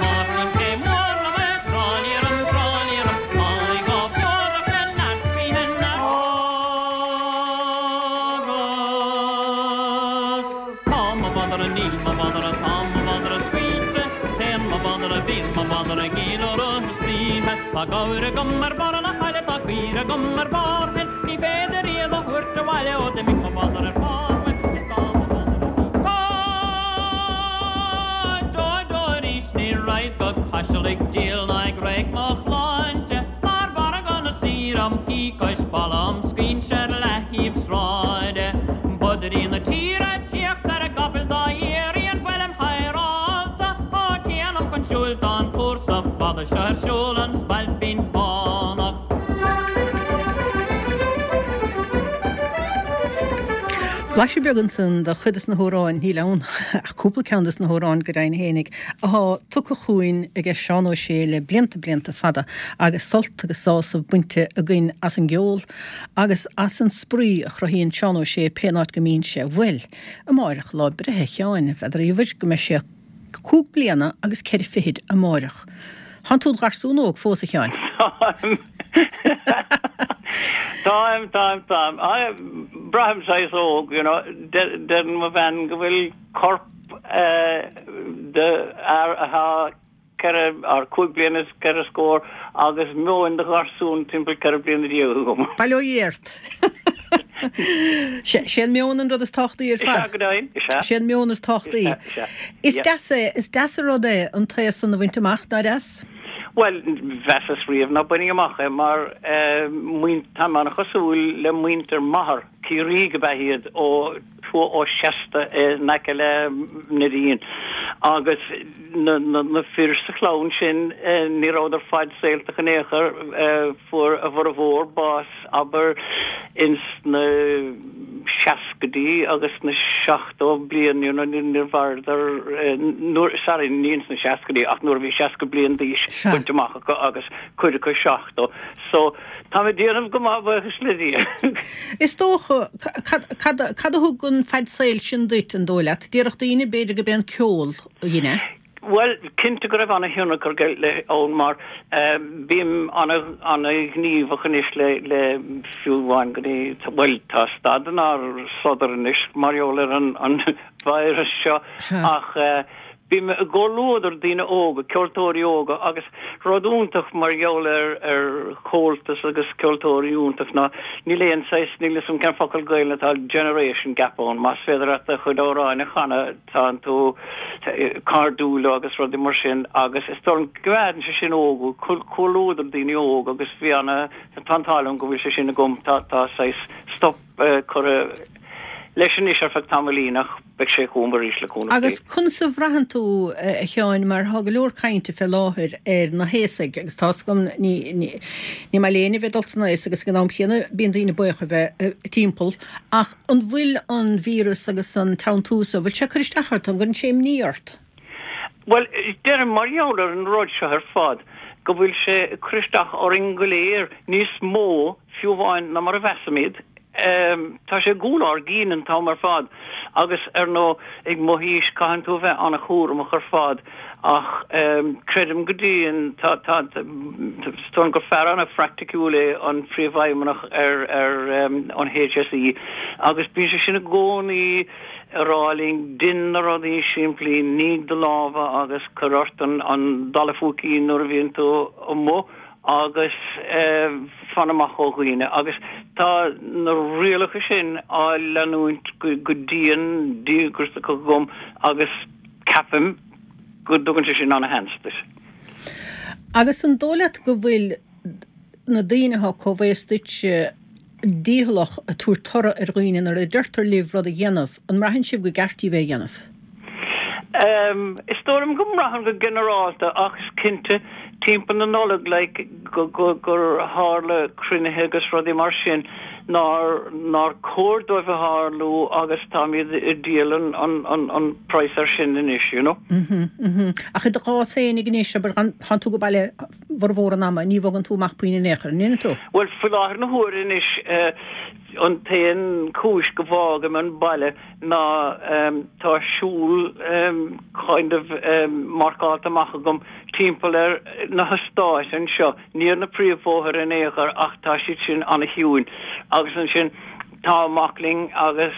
Speaker 5: Máirtín K Mór liom é tráilíoram tráilíoram Mallaigh á bhfuadach le neart gaoithe neart Agus tá mo mhadra níl mo mhadra tá mo mhadra scaoilte Téann mo mhadra, bíonn mo mhadra ag éileoradh istoíche. Tá gabhar agam ar barr na haille, tá caoire agam ar barr thoin. Ní féidir iad a thabhairt abhaile ó d'imigh mo mhadra ar fad uaim. Is tá mo mhadra ní Dó arís ní raghad go Caiseal ag díol ná ag reic mo shláinte Mar mhargadh na saoire am shuí cois balla am scoinse ar leaththaobh sráide. Bodairí na tíre ag tíocht ar a gcapaill dá iarraidh an bhfuilim hidhreálta? Ó téanam chun siúil tá an cúrsa fada seo ar siúl an Spailpín Fánach.
Speaker 1: Blaiseadh beag ansan de chuid des na hamhráin, níl ann ach cúpla ceann des na hamhráin go deimhin fhéinig, athá tugtha chugainn aige Seán Ó Sé le blianta blianta fada agus sult agus sásamh bainte againn as an gceol agus as an spraoi a chruthaíonn Seán Ó Sé pén áit go mbíonn sé. Bhuel, Amáireach, lá breithe Sheáin, n'fheadar Íomhair go mbeidh sé cúig bliana agus ceithre fichid amáireach. Thánn tú id gharsún óg fós, a Sheáin.
Speaker 6: Táim. Tá. Táim, táim, táim. Braithim saghas óg, you know. Deireann mo bhean go bhfuil corp de fhear atá 4 or 5 bliana is 4 scór agus meon de gharsún timpeall 14 bliana agam.
Speaker 1: Bail ó Dhia ort. Sé an meon an rud is tábhachtaí ar fad.
Speaker 6: Is ea, go deimhin, is ea.
Speaker 1: Sé an meon is tábhachtaí.
Speaker 6: Is ea, is ea.
Speaker 1: Is deas é, is deas an rud é an t-aos san a bhaint amach, nár dheas?
Speaker 6: Bhuel, mheasas riamh ná bainfinn amach é mar táim an-chosúil le muintir m'athar, Ciarraígh ab ea iad ó tuath ó Seasta in aice le Neidín agus na fir sa chlann sin ní rabhadar fad-saoltach in aon chor, fuair a bhformhór bás abair ins na seascaidí agus na 70 bliain, you know, níor mhaireadar, nuair, sorry, ní ins na seascaidí ach nuair a bhí 60 bliain d'aois bainte amach acu agus cuid acu 70. So, táim ag déanamh go maith buíochas le Dia.
Speaker 1: Is dócha, cad, cad, cad a thug an fad saoil sin duit, an dóigh leat? Déarfadh daoine, b'fhéidir gurb é an ceol a dhein é.
Speaker 6: Bhuel, cinnte go raibh ana-thionchar aige ann mar bím ana-ghníomhach anois le, le fiú amháin go dtí, bhuel, tá stad inár sodar anois mar gheall ar an, an virus seo ach Bím i gcomhluadar daoine óga, ceoltóirí óga agus rud iontach mar gheall ar ar Chomhaltas agus ceoltóirí iontach ná níl aon saghas, níl 'fhios a'm cén focal Gaelainne atá, generation gap ann. Más féidir leat do chuid amhráin a chanadh tánn tú cairdiúil leo agus rudaí mar sin agus is dóigh liom go gcoimeádann sé sin óg thú, comhluadar daoine óga agus bhí ana, tá an t-ádh liom go bhfuil sé sin agam, tá tá saghas stop curtha leis anois ar feadh tamaillín ach beidh sé chugam arís le cúnamh
Speaker 1: Dé. Agus conas a bhraitheann tú, a Sheáin, mar tá go leor cainte fé láthair ar na haosaigh agus tá's agam ní ní maith le éinne a bheith ag dul san aos agus ag an am chéanna bíonn daoine buíoch a bheith timpeall ach an bhfuil an víreas agus an teanntú so, bhfuil sé ag cur isteach ort, an gcuireann sé imní ort?
Speaker 6: Bhuel, deirim mar gheall ar an rud seo ar fad go bhfuil sé ag cur isteach orainn go léir níos mó fiú amháin ná mar a mheasaimid. Tá sé i gcúl ár gcinn an t-am ar fad agus, ar ndóigh, ag mo haois caitheann tú a bheith an-chúramach ar fad ach creidim go dtéann, tá, tá, is dóigh liom gur fear an-phraiticiúil é an Príomhfheidhmeannach ar, ar an HSE agus bíonn sé sin i gcónaí ag rá linn, dein na rudaí simplí, nigh do lámha agus cuir ort an, an dalladh púicín nuair a bhíonn tú amuigh. agus fan amach ó dhaoine agus tá na rialacha sin á leanúint go dian díograiseach agam agus ceapaim go dtugann sé sin ana-sheans duit.
Speaker 1: Agus an dóigh leat go bhfuil na daoine atá comhaosta duitse dícheallach ag tabhairt toradh ar dhaoine nuair a deirtear libh rud a dhéanamh, an mbraitheann sibh go gceart daoibh é a dhéanamh?
Speaker 6: Is dóigh liom go mbraitheann go ginearálta ach is cinnte timpeall na Nollag like go go gur tharla cruinnithe agus rudaí mar sin nár nár chóir dóibh a tharlú agus táimid ag díol an an an an praghas ar sin anois you know.
Speaker 1: Mhm mhm. Ach i do chás fhéinig anois abair tánn tú go baile bhformhór an ama, ní bhogann tú amach puinn in aon chor, an ndéanann tú?
Speaker 6: Bhuel, faoi láthair na huaire anois, an t-aon chúis go bhfágaim an baile ná tá siúl kind of marcáilte amach agam timpeall ar na heastáit anseo, ní ar na príomhbhóithre in aon chor ach tá siad sin ana-chiúin. Agus ansin tá mac linn agus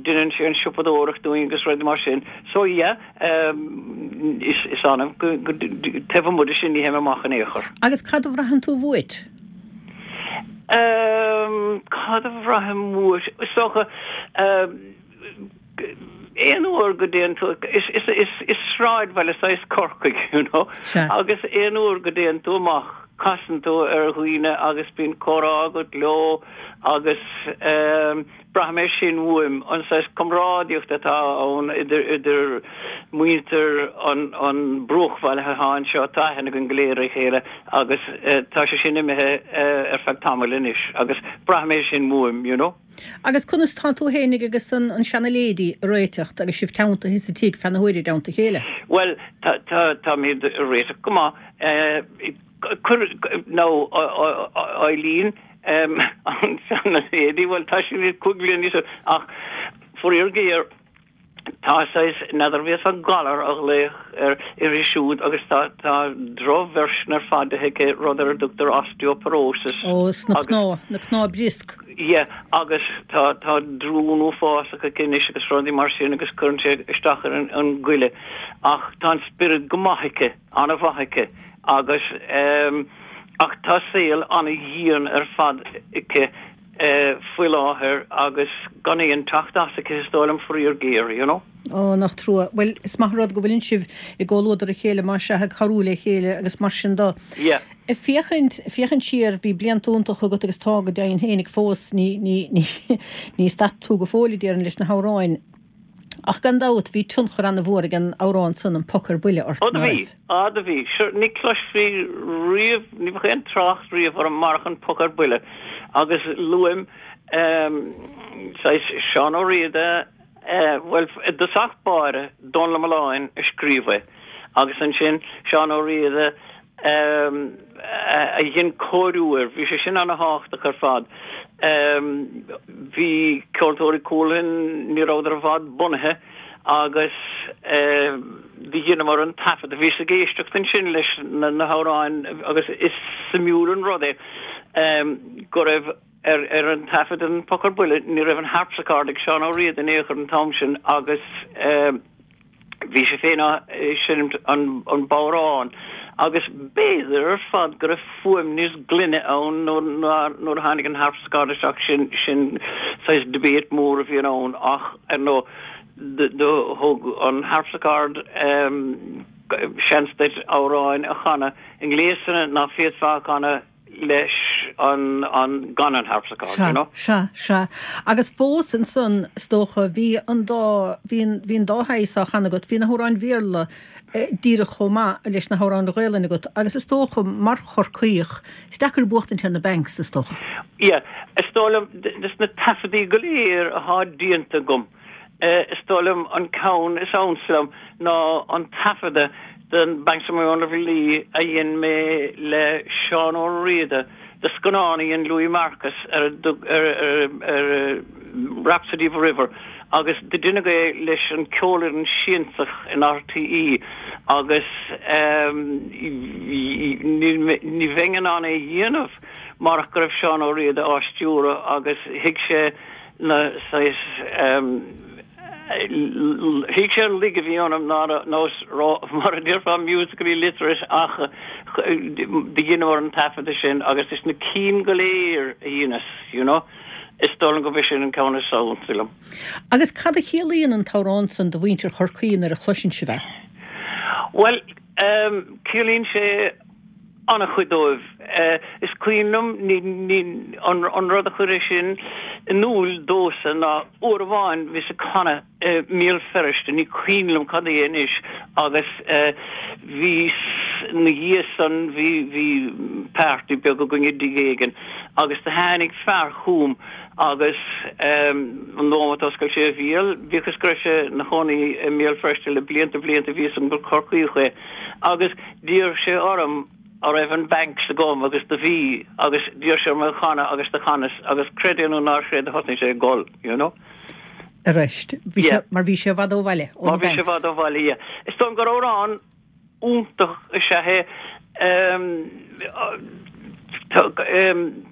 Speaker 6: déanann sé an siopadóireacht dúinn agus rudaí mar sin. So yeah. Is annamh go taobh amuigh de sin ní théim amach in aon chor.
Speaker 1: Agus cad a bhraitheann tú uait?
Speaker 6: Cad a bhraithim uait? Is dócha aon uair go dtéann tú, is sráidbhaile saghas Corcaigh, you know, agus aon uair go dtéann tú amach casann tú ar dhaoine agus bíonn comhrá agat leo agus Braithim é sin uaim, an saghas comrádaíocht atá ann idir idir muintir an an bruachbhaile atá anseo, tá aithne againn go léir ar a chéile agus tá sé sin imithe ar feadh tamaill anois agus braithim é sin uaim, you know.
Speaker 1: Agus conas tá tú fhéinig agus an an seana-lady ag réiteacht agus sibh teanntaithe sa tigh feadh na huaire i dteannta a chéile?
Speaker 6: Bhuel, tá tá táimid ag réiteach go maith. Cuir, nó Eileen, an seana-lady, bhuel tá sí 5 bliana níos ach faraor géar. Tá saghas, n'fheadar bhí fhios galar á ghlaoch air uirthi siúd agus tá tá drochversion ar fad de aici, rud ar a dtugtar osteoporosis.
Speaker 1: Ó, sna cnámha, na cnámha briosc.
Speaker 6: Yeah, agus tá tá drún uafásach aici anois agus rudaí mar sin agus cuireann sé isteach ar an an goile. Ach tá an spiorad go maith aici, an-mhaith aici agus ehm ach tá saol an-dhian ar fad aici faoi láthair agus gan aon teacht as aici is dóigh liom, faraor géar, you know.
Speaker 1: Ó, nach trua. Bhuel, is maith an rud go bhfuileann sibh i gcomhluadar a chéile, más ea, ag cabhrú le chéile agus mar sin de.
Speaker 6: Yeah.
Speaker 1: Ag féachaint, féachaint siar, bhí blianta iontacha agat agus tá go deimhin fhéinig fós, ní, ní, ní, ní stad tú go fóill, a déarfainn, leis na hamhráin. Ach gan dabht, bhí tionchar an-mhór ag an amhrán san, An Poc ar Buile, ort,
Speaker 6: Ó do bhí, á do bhí. Sure, ní cloisfí riamh, ní bheadh aon trácht riamh orm marach An Poc ar Buile. Agus luaim, ehm, saghas Seán Ó Riada, eh, bhuel, i dtosach báire, Dónal Ó Mealláin a scríobh é. Agus ansin Seán Ó Riada, a dhein cóiriú air. Bhí sé sin ana-thábhachtach ar fad. Bhí Ceoltóirí Chualann, ní rabhadar i bhfad bunaithe agus do dheineamar an taifead. Bhíos ag éisteacht ansin leis na hamhráin agus is suimiúil an rud é go raibh ar an taifead An Poc ar Buile, ní raibh an harpsichord ag Seán Ó Riada in aon chor an t-am sin agus Bhí sé féin á seinmt an bodhrán agus b'fhéidir ar fad go raibh fuaim níos glaine ann nuair a tháinig an harpsichord isteach, sin sin saghas debate mór a bhíonn ann ach ar ndóigh do thug an harpsichord seans duit amhráin a chanadh i ngléasanna ná féadfá a chanadh leis an, an, gan an harpsichord,
Speaker 1: you know. Sea, sea, sea. Agus fós ansan, is dócha, bhí an dá, bhí an, bhí an dá shaghas á chanadh agat, bhí na hamhráin Bhéarla díreach chomh maith leis na hamhráin Ghaelainn agat agus is dócha, mar Chorcaíoch, is deacair buachtaint ar na Banks, is dócha.
Speaker 6: Yeah, is dóigh liom, des na taifeadaí go léir athá déanta agam, Is dóigh liom an ceann is ansa liom ná an taifeadadh den Banks of My Own Little Lee a dhein mé le Seán Ó Riada do scannán a dhein Louis Marcus ar ar Rhapsody of a River agus do deineadh é leis an Ceolfhoireann Siansach in RTÉ agus ní bheinn in ann é a dhéanamh marach go raibh Seán Ó Riada á stiúradh agus thuig sé na saghas thuig sé an laige a bhí ionam ná raibh mar a déarfá musically literate ach do dheineamar an taifeadadh sin agus des na cinn go léir a dheineas you know is dóigh liom gurb é sin an ceann is ansa liom.
Speaker 1: Agus cad a chiallaíonn an t-amhrán san do mhuintir Chorcaí nuair a chloiseann sibh é?
Speaker 6: Bhuel, ciallaíonn sé an-chuid dóibh. Is cuimhin liom an rud a chuir é sin in iúl domhsa ná uair amháin bhíos ag canadh i mBéal Feirste, ní cuimhin liom cad é anois, agus bhí ina dhiaidh san bhí bhí party beag againn i dtigh éigin agus do tháinig fear chugam agus an nóiméad a d'oscail sé a bhéal, bíodh is go raibh sé ina chónaí i mBéal Feirste le blianta blianta bhí fhios agam gur Corcaíoch é agus D'iarr sé orm a' raibh an Banks agam agus do bhí agus d'iarr sé orm é a chanadh agus do chanas agus creid é nó ná creid do thosnaigh sé ag gol, you know.
Speaker 1: Arís. Bhí sé, mar bhí sé i bhfad ó bhaile,
Speaker 6: ó na Banks. Mar bhí sé i bhfad ó bhaile, yeah. Is dóigh liom gur amhrán iontach is ea é.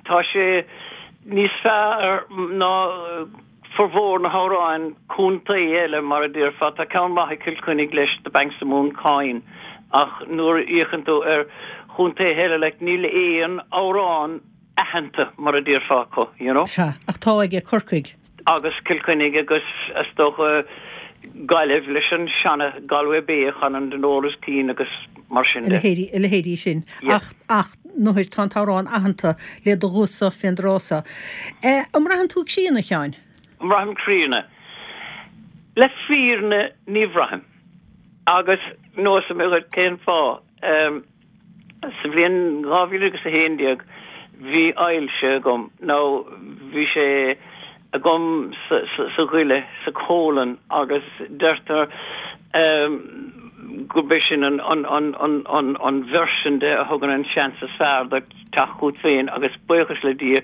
Speaker 6: Tá sé níos fearr ná Formhór na hamhráin contae eile, mar a déarfá, tá ceann maith ag Cill Chainnigh leis, The Banks of Mooncoin, ach nuair a fhéachann tú ar chontaetha eile, like, níl aon amhrán aitheanta, mar a déarfá, acu, you know.
Speaker 1: Sea, ach tá aige Corcaigh.
Speaker 6: Agus Cill Chainnigh agus, is dócha, Gaillimh leis an seana Galway Bay a chanann Dolores Keane agus mar sin
Speaker 1: de. A leithéidí sin. Ach, ach, nuair tá an t-amhrán aitheanta le do ghuth-sa fén dtráth so. An mbraitheann tú críonna, a Sheáin?
Speaker 6: An mbraithim críonna? Le fírinne ní bhraithim. Agus neosfaidh mé dhuit cén fáth. Sa bhliain 2011 bhí ailse agam, nó bhí sé agam sa ghoile, sa colon, agus deirtear. gurb é sin an an version de a thugann an seans is fearr duit teacht chugat féin agus buíochas le Dia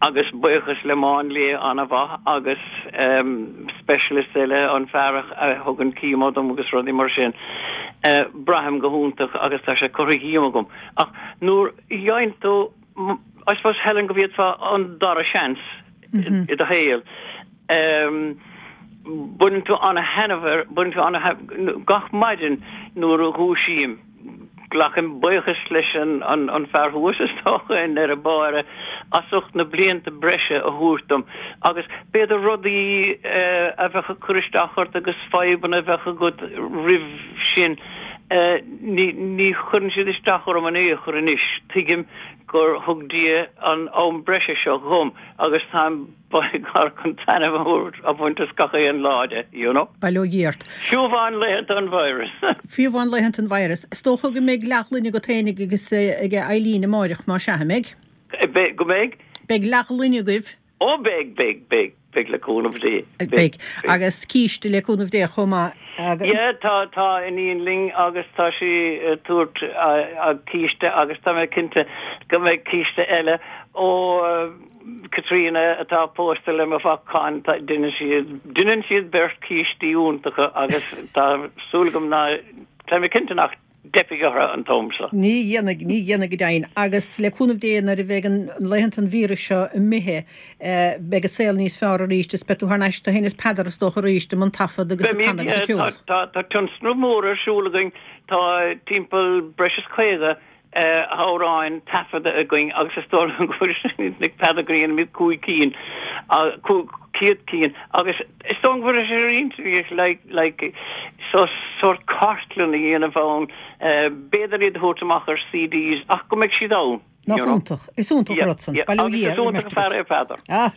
Speaker 6: agus buíochas le máinlia an-mhaith agus specialist eile, an fear a thugann chemo dom agus rudaí mar sin, braithim go hiontach agus tá sé curtha dhíom agam. Ach nuair a gheibheann tú, I suppose Helen go bhféadfá an dara seans i do shaol, baineann tú an-thaitneamh air, baineann tú an-thaitneamh, gach maidin nuair a dhúisím, glacaim buíochas leis an fear thuas is dócha i ndeireadh báire as ucht na blianta breise a thabhairt dom agus b'fhéidir rudaí a bheadh ag cur isteach ort agus fadhbanna a bheadh agat roimh sin, ní chuireann siad isteach orm in aon chor anois. Tuigim gur thug Dia an am breise seo dhom agus táim Beidh chun taitneamh a bhaint as gach aon lá de, you know.
Speaker 1: Bail ó Dhia ort.
Speaker 6: Fiú amháin laethanta an virus.
Speaker 1: Fiú amháin laethanta an virus. Is dócha go mbeidh leathghloine agat féinig agus ag Eileen amáireach, más ea, an mbeidh?
Speaker 6: Beidh, go mbeidh?
Speaker 1: Beidh leathghloine agaibh.
Speaker 6: Ó beidh, beidh, beidh, beidh le cúnamh Dé.
Speaker 1: Beidh. Agus císte le cúnamh Dé chomh maith.
Speaker 6: Yeah, tá, tá iníon linn agus tá sí ag tabhairt a císte agus tá mé cinnte go mbeidh císte eile ó Caitríona atá pósta le mo mhac Con, deineann siad, deineann siad beirt cístí iontacha agus tá súil agam ná, tá mé cinnte nach dteipfidh orthu an t-am seo.
Speaker 1: Ní dhéanfaidh, ní dhéanfaidh go deimhin. Agus le cúnamh Dé nuair a bheidh an, laethanta an víris seo imithe, beidh an saol níos fearr arís is beidh tú thar n-ais, tú féin is Peadar is dócha arís i mbun taifead agus ag canadh agus ag ceol.
Speaker 6: Tá, tá tionscnamh mór ar siúl againn, tá timpeall breis is 50 hamhráin taifeadta againn agus is dóigh liom go bhfuil sé ag Peadar go ndéanaimid 5 cinn, 500 cinn agus is dóigh liom go bhfuil sé ar intinn like like so sórt cartlann a dhéanamh ann, b'fhéidir iad a thabhairt amach ar CDs ach go mbeidh siad ann.
Speaker 1: Nach iontach. Is iontach an rud san.
Speaker 6: Bail ó Dhia ar an mbeirt agaibh. Agus is iontach an fear é Peadar.
Speaker 1: Ah,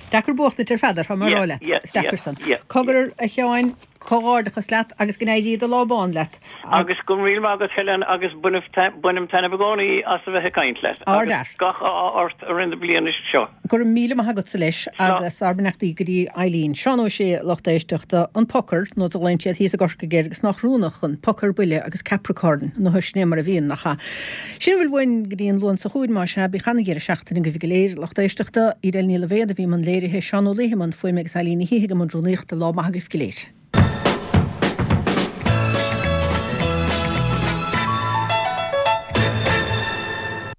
Speaker 1: deacair buachtaint ar Pheadar, tá mé a rá leat. Is deacair san. Cogar a Sheáin, comhghairdeachas leat agus go n-éirí do lá bán leat.
Speaker 6: Agus go raibh míle maith agat Helen agus bainim taitneamh i gcónaí as a bheith ag caint leat.
Speaker 1: Agus
Speaker 6: gach ádh ort i rith na bliana seo.
Speaker 1: Go raibh míle maith agatsa leis agus ár mbeannachtaí go dtí Eileen. Seán Ó Sé, lucht éisteachta, an Poker, nó a ghlaonn siad thíos i gCorcaigh air agus nach rúnach an Poker Buile agus Capricorn nó sin é mar a bhíonn, nach ea? Sin a bhfuil uainn go dtí an Luan seo chugainn, más ea. Bíodh ana-dheireadh seachtaine agaibh go léir, lucht éisteachta. Edel Ní Loibhéad a bhí i mbun léirithe, Seán Ó Laoithe i mbun fuaime agus Eileen Ní Shíthigh i mbun rúnaíochta. Lá maith agaibh go léir.